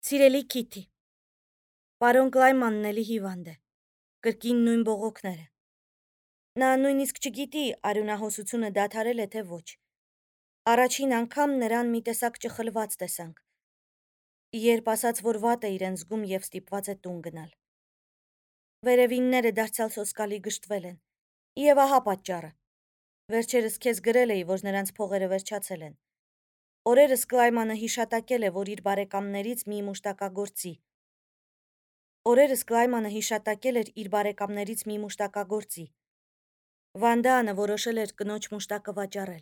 Սիրելի Քիթի, պարոն Կլայմանն էլի հիվանդ է, կրկին նույն բողոքները։ Նա նույնիսկ չգիտի արյունահոսությունը դադարել է թե ոչ։ Առաջին անգամ նրան մի տեսակ ճխլված տեսանք, երբ ասաց, որ վատ է իրեն զգում և ստիպված է տուն գնալ։ Վերևինները դարձյալ սոսկալի գժտվել են, և ահա պատճառը։ Վերջերս քեզ գրել էի, որ նրանց փողերը վերջացել են։ Օրերս Կլայմանը հիշատակել է, որ իր բարեկամներից մի մուշտակագործի։ Վանդանը որոշել էր կնոջ մուշտակը վաճառել։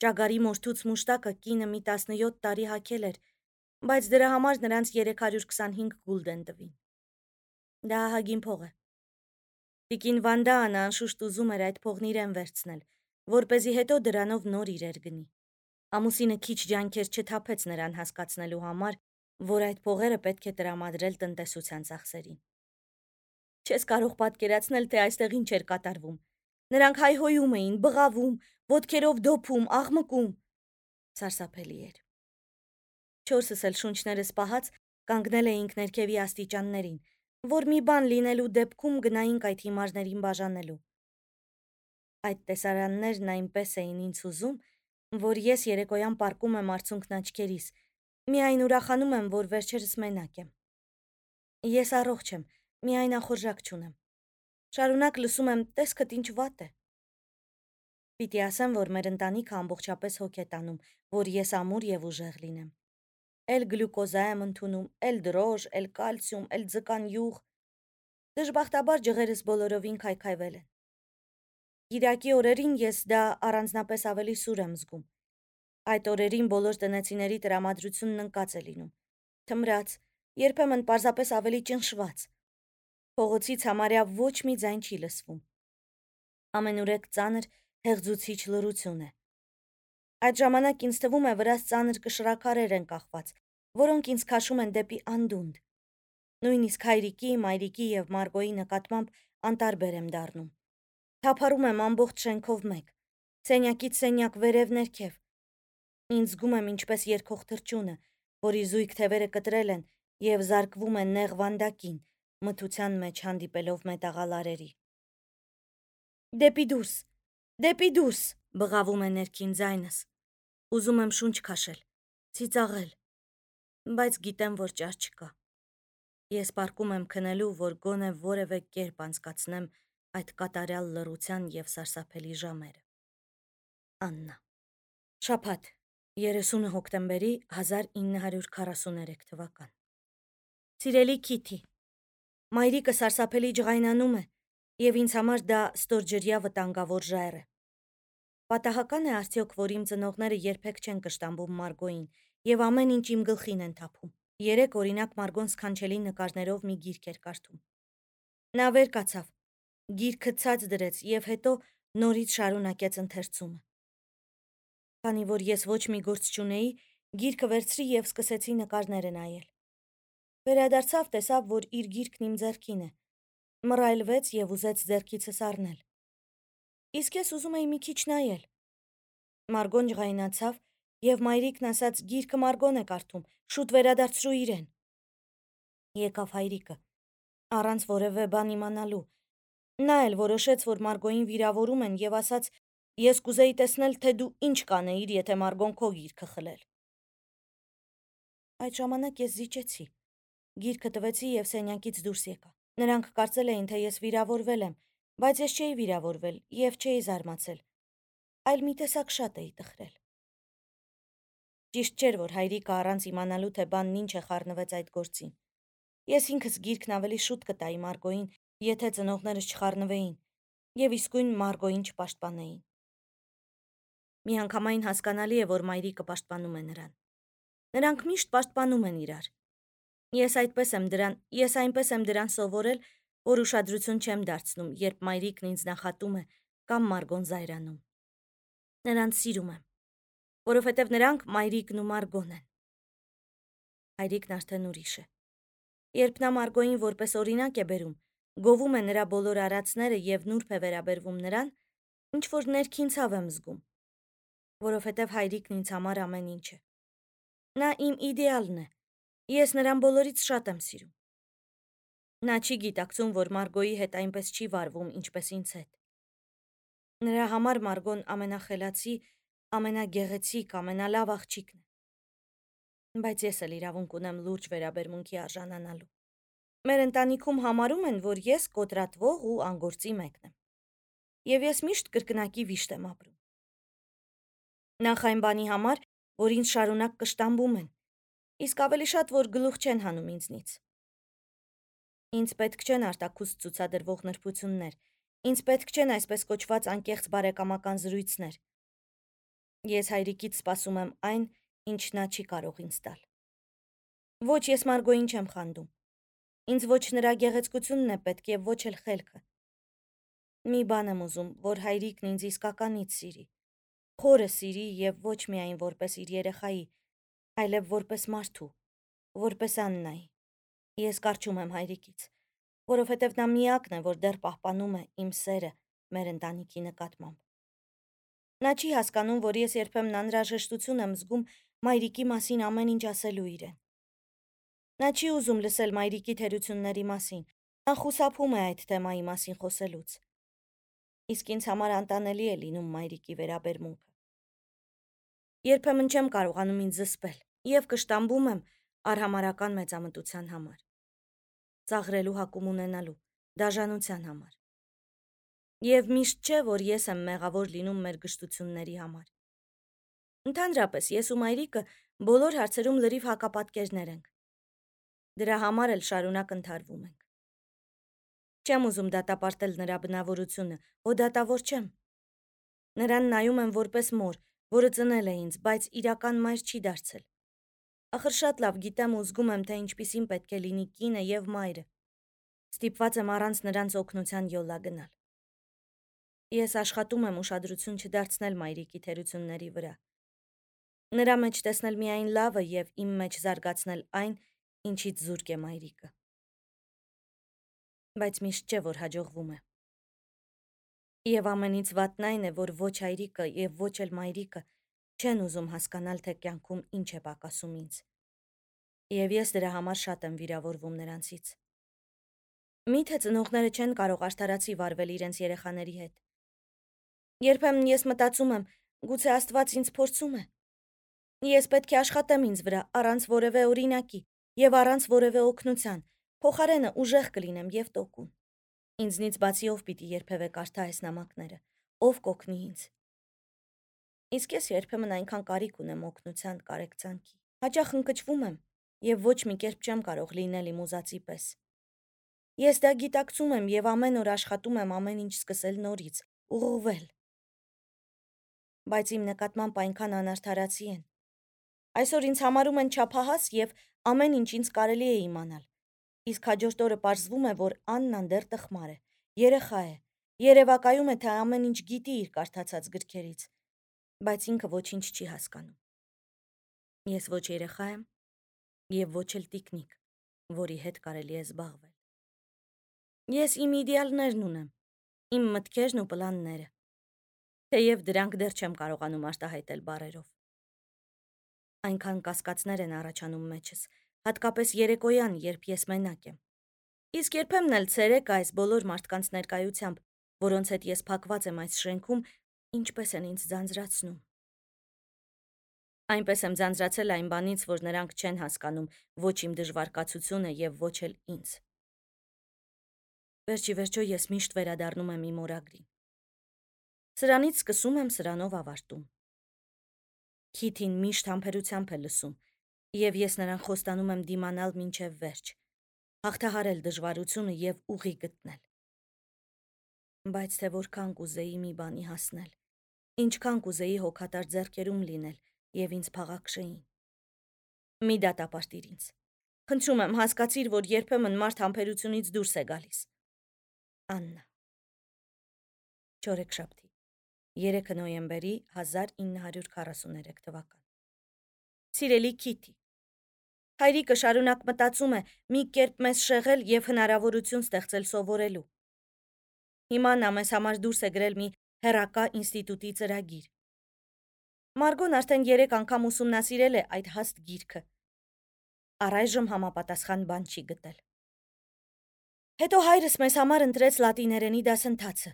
Ճագարի մորթուց մուշտակը կինը մի 17 տարի հագել էր, բայց դրա համար նրանց 325 գուլդեն տվին։ Դա ահագին փող է։ Տիկին Վանդանը անշուշտ ուզում էր այդ փողն իրեն վերցնել, որպեսզի հետո դրանով նոր իրեր գնի։ Ամուսինը քիչ ջանքեր չթափեց նրան հասկացնելու համար, որ այդ փողերը պետք է տրամադրել տնտեսության ծախսերին։ Չես կարող պատկերացնել, թե այստեղ ինչ էր կատարվում։ Նրանք հայհոյում էին, բղավում, ոտքերով դոփում, աղմկում։ Սարսափելի էր։ Չորսս էլ շունչներս պահած կանգնել էինք ներքևի աստիճաններին, որ մի բան լինելու դեպքում գնայինք այդ հիմարներին բաժանելու։ Այդ տեսարաններն այնպես էին ինձ հուզում, որ ես երեկոյան պառկում եմ արցունքն աչքերիս, միայն ուրախանում եմ, որ վերջերս մենակ եմ։ Ես առողջ եմ, միայն ախորժակ չունեմ։ Շարունակ լսում եմ, տեսքդ ինչ վատ է։ Պիտի ասեմ, որ մեր ընտանիքը ամբողջապես հոգ է տանում, որ ես ամուր և ուժեղ լինեմ։ Էլ գլյուկոզա եմ ընդունում, էլ դրոշ, էլ կալցիում, էլ ձկան յուղ։ Դժբախտաբար ջղերս բոլորովին քայքայվել են։ Կիրակի օրերին ես դա առանձնապես ավելի սուր եմ զգում։ Այդ օրերին բոլոր տնեցիների տրամադրությունն ընկած է լինում։ Թմրած, երբեմն պարզապես ավելի ճնշված։ Փողոցից համարյա ոչ մի ձայն չի լսվում։ Ամենուրեք ծանր, հեղձուցիչ լռություն է։ Այդ ժամանակ ինձ թվում է վրաս ծանր կշռաքարեր են կախված, որոնք ինձ քաշում են դեպի անդունդ։ Նույնիսկ հայրիկի, մայրիկի և Մարգոյի նկատմամբ անտարբեր եմ դառնում։ Թափառում եմ ամբողջ շենքով մեկ, սենյակից սենյակ վերև ներքև։ Ինձ զգում եմ ինչպես երգող թռչունը, որի զույգ թևերը կտրել են և զարկվում է նեղ վանդակին, մթության մեջ հանդիպելով մետաղալարերի։ Դեպի դուրս, բղավում է ներքին ձայնս։ Ուզում եմ շունչ քաշել, ծիծաղել, բայց գիտեմ, որ ճար չկա։ Ես պառկում եմ քնելու, որ գոնե որևէ կերպ անցկացնեմ այդ կատարյալ լռության և սարսափելի ժամերը։ Աննա։ Շաբաթ, 30 հոկտեմբերի 1943 թվական։ Սիրելի Քիթի, մայրիկը սարսափելի ջղայնանում է, և ինձ համար դա ստորջրյա վտանգավոր ժայռ է։ Պատահական է արդյոք, որ իմ ծնողները երբեք չեն կշտամբում Մարգոյին և ամեն ինչ իմ գլխին են թափում։ Երեկ օրինակ Մարգոն սքանչելի նկարներով մի գիրք էր կարդում։ Նա վեր կացավ, գիրքը ցած դրեց և հետո նորից շարունակեց ընթերցումը։ Քանի որ ես ոչ մի գործ չունեի, գիրքը վերցրի և սկսեցի նկարները նայել։ Վերադարձավ, տեսավ, որ իր գիրքն իմ ձեռքին է, մռայլվեց և ուզեց ձեռքիցս առնել։ Իսկ ես ուզում էի մի քիչ նայել։ Մարգոն ջղայնացավ, և մայրիկն ասաց՝ գիրքը Մարգոն է կարդում, շուտ վերադարձրու իրեն։ Եկավ հայրիկը, առանց որևէ բան իմանալու։ Նա էլ որոշեց, որ Մարգոյին վիրավորում են և ասաց, ես կուզեի տեսնել, թե դու ինչ կանեիր, եթե Մարգոն քո գիրքը խլեր։ Այդ ժամանակ ես զիջեցի, գիրքը տվեցի և սենյակից դուրս եկա։ Նրանք կարծել էին, թե ես վիրավորվել եմ, բայց ես չէի վիրավորվել և չէի զարմացել, այլ մի տեսակ շատ էի տխրել։ Ճիշտ չէր, որ հայրիկը առանց իմանալու, թե բանն ինչ է խառնվեց այդ գործին։ Ես ինքս գիրքն ավելի շուտ կտայի Մարգոյին, եթե ծնողներս չխառնվեին, և իսկույն Մարգոյին չպաշտպանեին։ Միանգամայն հասկանալի է, որ մայրիկը պաշտպանում է նրան։ Նրանք միշտ պաշտպանում են իրար։ Ես այնպես եմ դրան սովորել, որ ուշադրություն չեմ դարձնում, երբ մայրիկն ինձ նախատում է կամ Մարգոն զայրանում։ Նրանց սիրում եմ, որովհետև նրանք մայրիկն ու Մարգոն են։ Հայրիկն արդեն ուրիշ է։ Երբ նա Մարգոյին որպես օրինակ է բերում, գովում է նրա բոլոր արածները և նուրբ է վերաբերվում նրան, ինչ-որ ներքին ցավ եմ զգում, որովհետև հայրիկն ինձ համար ամեն ինչ է։ Նա իմ իդեալն է, Ես նրան բոլորից շատ եմ սիրում։ Նա չի գիտակցում, որ Մարգոյի հետ այնպես չի վարվում, ինչպես ինձ հետ։ Նրա համար Մարգոն ամենախելացի, ամենագեղեցիկ, ամենալավ աղջիկն է։ Բայց ես էլ իրավունք ունեմ լուրջ վերաբերմունքի արժանանալու։ Մեր ընտանիքում համարում են, որ ես կոտրատվող ու անգործի մեկն եմ։ Եվ ես միշտ կրկնակի վիշտ եմ ապրում։ Նախ այն բանի համար, որ ինձ շարունակ կշտամբում են, իսկ ավելի շատ, որ գլուխ չեն հանում ինձնից։ Ինձ պետք չեն արտաքուստ ցուցադրվող նրբություններ, ինձ պետք չեն այսպես կոչված անկեղծ բարեկամական զրույցներ։ Ես հայրիկից սպասում եմ այն, ինչ նա չի կարող ինձ տալ։ Ոչ, ես Մարգոյին չեմ խանդում։ Ինձ ոչ նրա գեղեցկությունն է պետք եւ ոչ էլ խելքը։ Մի բան եմ ուզում, որ հայրիկն ինձ իսկականից սիրի։ Խորը սիրի եւ ոչ միայն որպես իր երեխայի, այլև որպես մարդու, որպես Աննայի։ Ես կարճում եմ հայրիկից, որովհետև նա միակն է, որ դեռ պահպանում է իմ սերը մեր ընտանիքի նկատմամբ։ Նա չի հասկանում, որ ես երբեմն անհրաժեշտություն եմ զգում մայրիկի մասին ամեն ինչ ասելու իրեն։ Նա չի ուզում լսել մայրիկի թերությունների մասին, նա խուսափում է այդ թեմայի մասին խոսելուց։ Իսկ ինձ համար անտանելի է լինում մայրիկի վերաբերմունքը։ Երբեմն չեմ կարողանում ինձ զսպել եւ կշտամբում եմ արհամարական մեծամտության համար, ծաղրելու հակում ունենալու, դաժանության համար։ Եվ միշտ չէ, որ ես եմ մեղավոր լինում մեր գժտությունների համար։ Ընդհանրապես, ես ու մայրիկը բոլոր հարցերում լրիվ հակապատկերներ ենք։ Դրա համար էլ շարունակ ընթարվում ենք։ Չեմ ուզում դատապարտել նրա բնավորությունը, ու դատավոր չեմ։ Նրան նայում եմ որպես մոր, որը ծնել է ինձ, բայց իրական մայր չի դարձել։ Ախր շատ լավ գիտեմ ու զգում եմ, թե ինչպիսին պետք է լինի կինը եւ մայրը։ Ստիպված եմ առանց նրանց օգնության յոլա գնալ։ Ես աշխատում եմ ուշադրություն չդարձնել մայրիկի թերությունների վրա։ Նրա մեջ տեսնել միայն լավը եւ իմ մեջ զարգացնել այն, ինչից զուրկ է մայրիկը։ Բայց միշտ չէ, որ հաջողվում է։ Եվ ամենից վատն այն է, որ ոչ հայրիկը եւ ոչ էլ մայրիկը չեն ուզում հասկանալ, թե կյանքում ինչ է պակասում ինձ։ Եվ ես դրա համար շատ եմ վիրավորվում նրանցից։ Միթե ծնողները չեն կարող արդարացի վարվել իրենց երեխաների հետ։ Երբեմն ես մտածում եմ, գուցե Աստված ինձ փորձում է։ Ես պետք է աշխատեմ ինձ վրա առանց որևէ օրինակի եւ առանց որևէ օգնության, փոխարենը ուժեղ կլինեմ եւ տոկուն։ Ինձնից բացի ով պիտի երբևէ կարդա այս նամակները, ով կօգնի ինձ։ Իսկ ես երբեմն այնքան կարիք ունեմ օգնության, կարեկցանքի։ Հաճախ ընկճվում եմ եւ ոչ մի կերպ չեմ կարող լինել իմ ուզածի պես։ Ես դա գիտակցում եմ եւ ամեն օր աշխատում եմ ամեն ինչ սկսել նորից, ուղղվել։ Բայց իմ նկատմամբ այնքան անարդարացի են։ Այսօր ինձ համարում են չափահաս եւ ամեն ինչ ինձ կարելի է իմանալ։ Իսկ հաջորդ օրը պարզվում է, որ Աննան դեռ տխմար է, երեխա է, երևակայում է, թե ամեն ինչ գիտի իր կարդացած գրքերից, բայց ինքը ոչինչ չի հասկանում։ Ես ոչ երեխա եմ եւ ոչ էլ տիկնիկ, որի հետ կարելի է զբաղվել։ Ես իմ իդեալներն ունեմ, իմ մտքերն ու պլանները, թեև դրանք դեռ չեմ կարողանում արտահայտել բառերով։ Այնքան կասկածներ են առաջանում մեջս, հատկապես երեկոյան, երբ ես մենակ եմ։ Իսկ երբեմն էլ ցերեկ այս բոլոր մարդկանց ներկայությամբ, որոնց հետ ես փակված եմ այս շենքում, ինչպես են ինձ ձանձրացնում։ Այնպես եմ ձանձրացել այն բանից, որ նրանք չեն հասկանում ոչ իմ դժվարկացությունը եւ ոչ էլ ինձ։ Վերջիվերջո ես միշտ վերադառնում եմ իմ օրագրին։ Սրանից սկսում եմ, սրանով ավարտում։ Քիթին միշտ համբերությամբ է լսում, եւ ես նրան խոստանում եմ դիմանալ մինչեւ վերջ, հաղթահարել դժվարությունը եւ ուղի գտնել։ Բայց թե որքան կուզեի մի բանի հասնել, ինչքան կուզեի հոգատար ձեռքերում լինել եւ ինձ փաղաքշեին։ Մի դատապարտիր ինձ։ Խնդրում եմ, հասկացիր, որ երբեմն մարդ համբերությունից դուրս է գալիս։ Աննա։ Չորեքշաբթի 3 նոյեմբերի 1943 թվական։ Սիրելի Քիթի, հայրիկը շարունակ մտածում է մի կերպ մեզ շեղել եւ հնարավորություն ստեղծել սովորելու։ Հիմա նա մեզ համար դուրս է գրել մի հեռակա ինստիտուտի ծրագիր։ Մարգոն արդեն 3 անգամ ուսումնասիրել է այդ հաստ գիրքը։ Առայժմ համապատասխան բան չի գտել։ Հետո հայրս մեզ համար ընտրեց լատիներենի դասընթացը։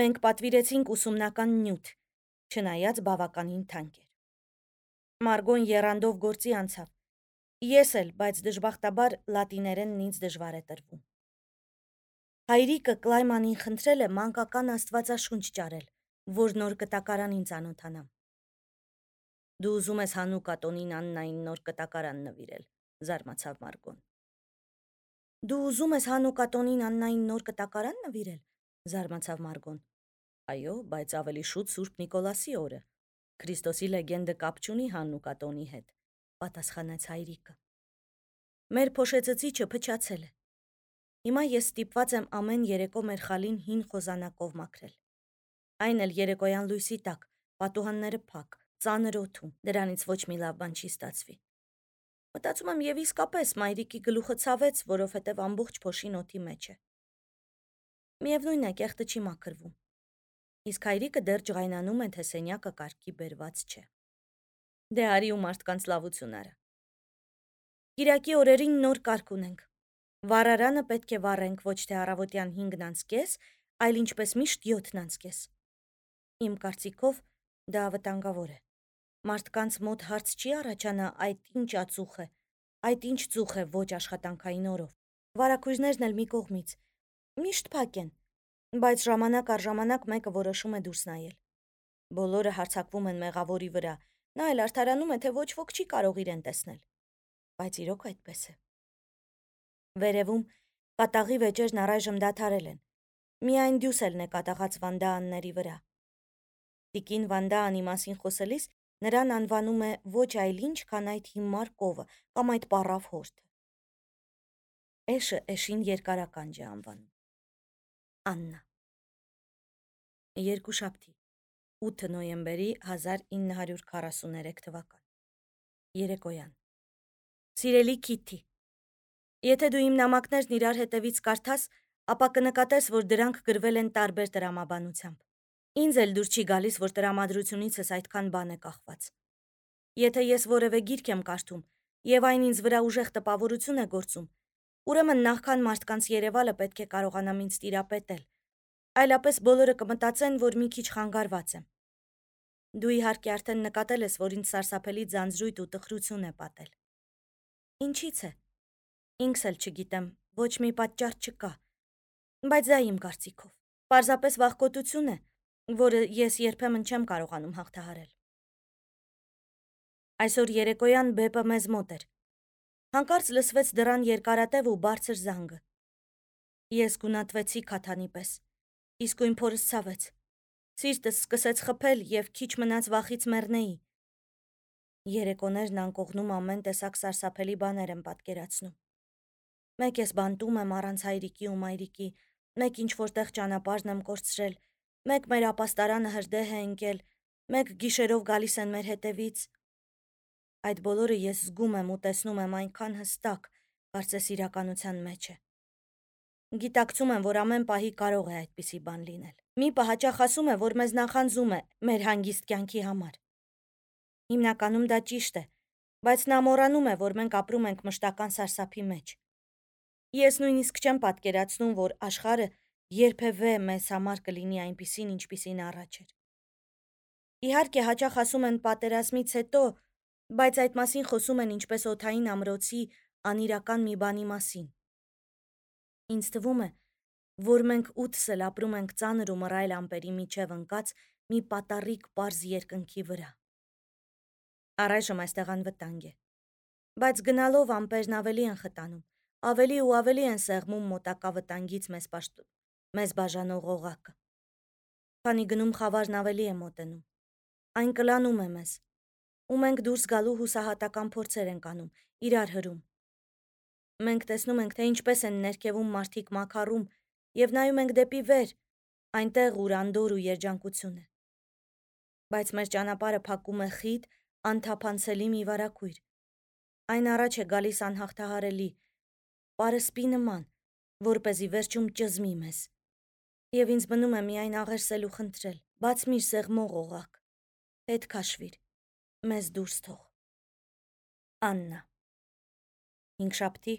Մենք պատվիրեցինք ուսումնական նյութ, չնայած բավականին թանկ էր։ Մարգոն եռանդով գործի անցավ։ Ես էլ, բայց դժբախտաբար լատիներենն ինձ դժվար է տրվում։ Հայրիկը Կլայմանին խնդրել է մանկական աստվածաշունչ ճարել, որ նոր կտակարանին ծանոթանամ։ Դու ուզում ես Հանուկա տոնին Աննային նոր կտակարան նվիրել, զարմացավ Մարգոն։ Դու ուզում ես Հանուկա տոնին Աննային նոր կտակարան նվիրել, զարմացավ Մարգոն։ Այո, բայց ավելի շուտ Սուրբ Նիկոլասի օրը։ Քրիստոսի լեգենդը կապ չունի Հանուկա տոնի հետ, պատասխանեց հայրիկը։ Մեր փոշեցծիչը փչացել է։ Հիմա ես ստիպված եմ ամեն երեկո մեր խալին հին խոզանակով մաքրել։ Այն էլ երեկոյան լույսի տակ, պատուհանները փակ, ծանր օդում, դրանից ոչ մի լավ բան չի ստացվի։ Մտածում եմ եւ իսկապես մայրիկի գլուխը ցավեց, որովհետեւ ամբողջ փոշին օդի մեջ է։ Միևնույն է, կեղտը չի մաքրվում։ Իսկ հայրիկը դեռ ջղայնանում է, թե սենյակը կարգի բերված չէ։ Դե արի ու մարդկանց լավություն արա։ Կիրակի օրերին նոր կարգ ունենք։ Վառարանը պետք է վառենք ոչ թե առավոտյան 5:30, այլ ինչպես միշտ 7:30։ Իմ կարծիքով դա վտանգավոր է։ Մարդկանց մոտ հարց չի առաջանա այդ ինչ ածուխ է, այդ ինչ ծուխ է ոչ աշխատանքային օրով։ Վարակույրներն էլ մի կողմից։ Միշտ փակ են, բայց ժամանակ առ ժամանակ մեկը որոշում է դուրս նայել։ Բոլորը հարձակվում են մեղավորի վրա, նա էլ արդարանում է, թե ոչ ոք չի կարող իրեն տեսնել։ Բայց իրոք այդպես է։ Վերևում կատաղի վեճերն առայժմ դադարել են։ Միայն դյուսելն է կատաղած Վանդաանների վրա։ Տիկին Վանդաանի մասին խոսելիս նրան անվանում է ոչ այլ ինչ, քան այդ հիմար կովը կամ այդ պառավ հորթը։ Էշը էշին երկարականջ է անվանում։ Աննա։ Երկուշաբթի 8 նոյեմբերի 1943 թվական։ Երեկոյան։ Սիրելի Քիթի, եթե դու իմ նամակներն իրար հետևից կարդաս, ապա կնկատես, որ դրանք գրվել են տարբեր տրամաբանությամբ։ Ինձ էլ դուր չի գալիս, որ տրամադրությունիցս այդքան բան է կախված։ Եթե ես որևէ գիրք եմ կարդում, եւ այն ինձ վրա ուժեղ տպավորություն է գործում, ուրեմն նախքան մարդկանց երևալը պետք է կարողանամ ինձ տիրապետել, այլապես բոլորը կմտածեն, որ մի քիչ խանգարված եմ։ Դու իհարկե արդեն նկատել ես, որ ինձ սարսափելի ձանձրույթ ու տխրություն է պատել։ Ինչից է։ Ինքս էլ չգիտեմ, ոչ մի պատճառ չկա, բայց դա իմ կարծիքով։ Պարզապես վախկոտություն է, որը ես երբեմն չեմ կարողանում հաղթահարել։ Այսօր երեկոյան բեպը մեզ մոտ էր։ Հանկարծ լսվեց դռան երկարատև ու բարձր զանգը։ Ես գունատվեցի քաթանի պես, իսկույն փորս ցավեց։ Սիրտս սկսեց խփել եւ քիչ մնաց վախից մեռնեի։ Երեկոներն անկողնում ամեն տեսակ սարսափելի բաներ եմ պատկերացնում։ Մեկ ես բանտում եմ առանց հայրիկի ու մայրիկի, մեկ ինչ որտեղ ճանապարհն եմ կորցրել, մեկ մեր ապաստարանը հրդեհ է ընկել, մեկ գիշերով գալիս են մեր հետևից։ Այդ բոլորը ես զգում եմ ու տեսնում եմ այնքան հստակ, կարծես իրականության մեջ է։ Գիտակցում եմ, որ ամեն պահի կարող է այդպիսի բան լինել։ Մի պահ հաճախ ասում է, որ մեզ նախանձում է մեր հանգիստ կյանքի համար։ Հիմնականում դա ճիշտ է, բայց նա մոռանում է, որ մենք ապրում ենք մշտական սարսափի մեջ։ Ես նույնիսկ չեմ պատկերացնում, որ աշխարհը երբևէ մեզ համար կլինի այնպիսին, ինչպիսին առաջ էր։ Իհարկե, հաճախ ասում են պատերազմից հետո, բայց այդ մասին խոսում են ինչպես օդային ամրոցի անիրական մի բանի մասին։ Ինձ թվում է, որ մենք 8-ս էլ ապրում ենք ծանր ու մռայլ ամպերի միջև ընկած մի պատառիկ պարզ երկնքի վրա։ Առայժմ այստեղ անվտանգ է, բայց գնալով ամպերն ավելի են խտանում, ավելի ու ավելի են սեղմում մոտակա վտանգից մեզ բաժանող օղակը։ Քանի գնում խավարն ավելի է մոտենում, այն կլանում է մեզ, ու մենք դուրս գալու հուսահատական փորձեր ենք անում, իրար հրում։ Մենք տեսնում ենք, թե ինչպես են ներքևում մարդիկ մաքարում եւ նայում ենք դեպի վեր, այնտեղ ուր անդոր ու երջանկություն է։ Բայց մեր ճանապարհը փակում է խիտ, անթափանցելի մի վարակույր։ Այն առաջ է գալիս անհաղթահարելի, պարսպի նման, որպեսզի վերջում ճզմի մեզ։ Եվ ինձ մնում է միայն աղերսել ու խնդրել. բաց միր սեղմող օղակ, հետ քաշվիր, մեզ դուրս թող։ Աննա։ Հինգշաբթի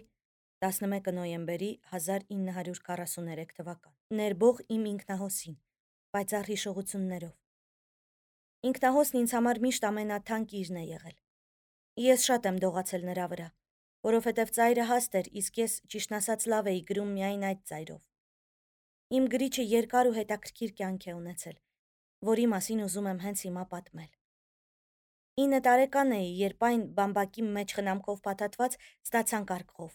11 նոյեմբերի 1943 թվական։ Ներբող իմ ինքնահոսին, պայծառ հիշողություններով։ Ինքնահոսն ինձ համար միշտ ամենաթանկ իրն է եղել։ Ես շատ եմ դողացել նրա վրա, որովհետև ծայրը հաստ էր, իսկ ես ճիշտն ասած լավ էի գրում միայն այդ ծայրով։ Իմ գրիչը երկար ու հետաքրքիր կյանք է ունեցել, որի մասին ուզում եմ հենց հիմա պատմել։ 9 տարեկան էի, երբ այն բամբակի մեջ խնամքով փաթաթված ստացան կարգով,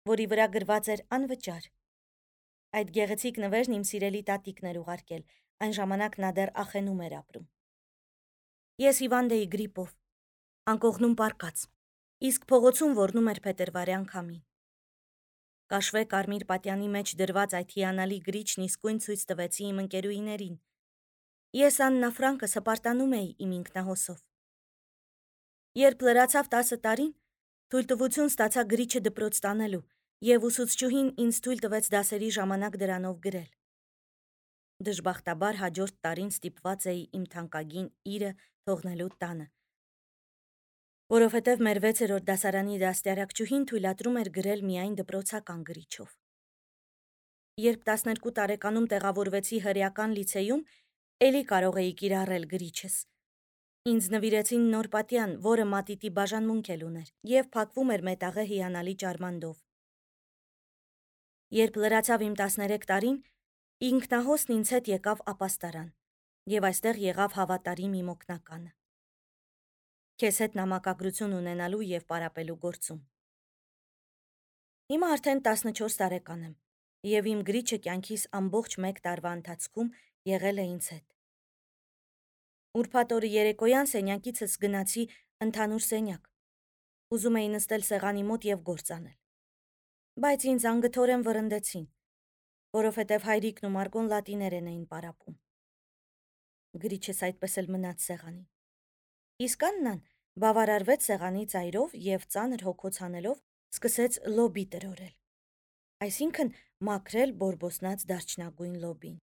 որի վրա գրված էր անվճար։ Այդ գեղեցիկ նվերն իմ սիրելի տատիկն էր ուղարկել, այն ժամանակ նա դեռ Ախենում էր ապրում։ Ես հիվանդ էի գրիպով, անկողնում պառկած, իսկ փողոցում ոռնում էր փետրվարյան քամին։ Կաշվե կարմիր պատյանի մեջ դրված այդ հիանալի գրիչն իսկույն ցույց տվեցի իմ ընկերուհիներին։ Ես Աննա Ֆրանկս հպարտանում էի իմ ինքնահոսով։ Երբ լրացավ 10 տարին, թույլտվություն ստացա գրիչը դպրոց տանելու, եւ ուսուցչուհին ինձ թույլ տվեց դասերի ժամանակ դրանով գրել։ Դժբախտաբար հաջորդ տարին ստիպված էի իմ թանկագին իրը թողնելու տանը, որովհետև մեր 6-րդ դասարանի դաստիարակչուհին թույլատրում էր գրել միայն դպրոցական գրիչով։ Երբ 12 տարեկանում տեղավորվեցի հրեական լիցեյում, էլի կարող էի կիրառել գրիչս։ Ինձ նվիրեցին նոր պատյան, որը մատիտի բաժանմունք էլ ուներ, եւ փակվում էր մետաղե հիանալի ճարմանդով։ Երբ լրացավ իմ 13 տարին, ինքնահոսն ինձ հետ եկավ ապաստարան, եւ այստեղ եղավ հավատարիմ իմ օգնականը։ Քեզ հետ նամակագրություն ունենալու եւ պարապելու գործում։ Հիմա արդեն 14 տարեկան եմ, եւ իմ գրիչը կյանքիս ամբողջ 1 տարվա ընթացքում եղել է ինձ հետ։ Ուրբաթ օրը երեկոյան սենյակիցս գնացի ընդհանուր սենյակ։ Ուզում էի նստել սեղանի մոտ եւ գործ անել։ Բայց ինձ անգթորեն վռնդեցին, որովհետև հայրիկն ու Մարգոն լատիներեն էին պարապում։ Գրիչս այդպես էլ մնաց սեղանին։ Իսկ Աննան բավարարվեց սեղանի ծայրով եւ ծանր հոգոց հանելով սկսեց լոբի տրորել։ Այսինքն մաքրել բորբոսնած դարչնագույն լոբին։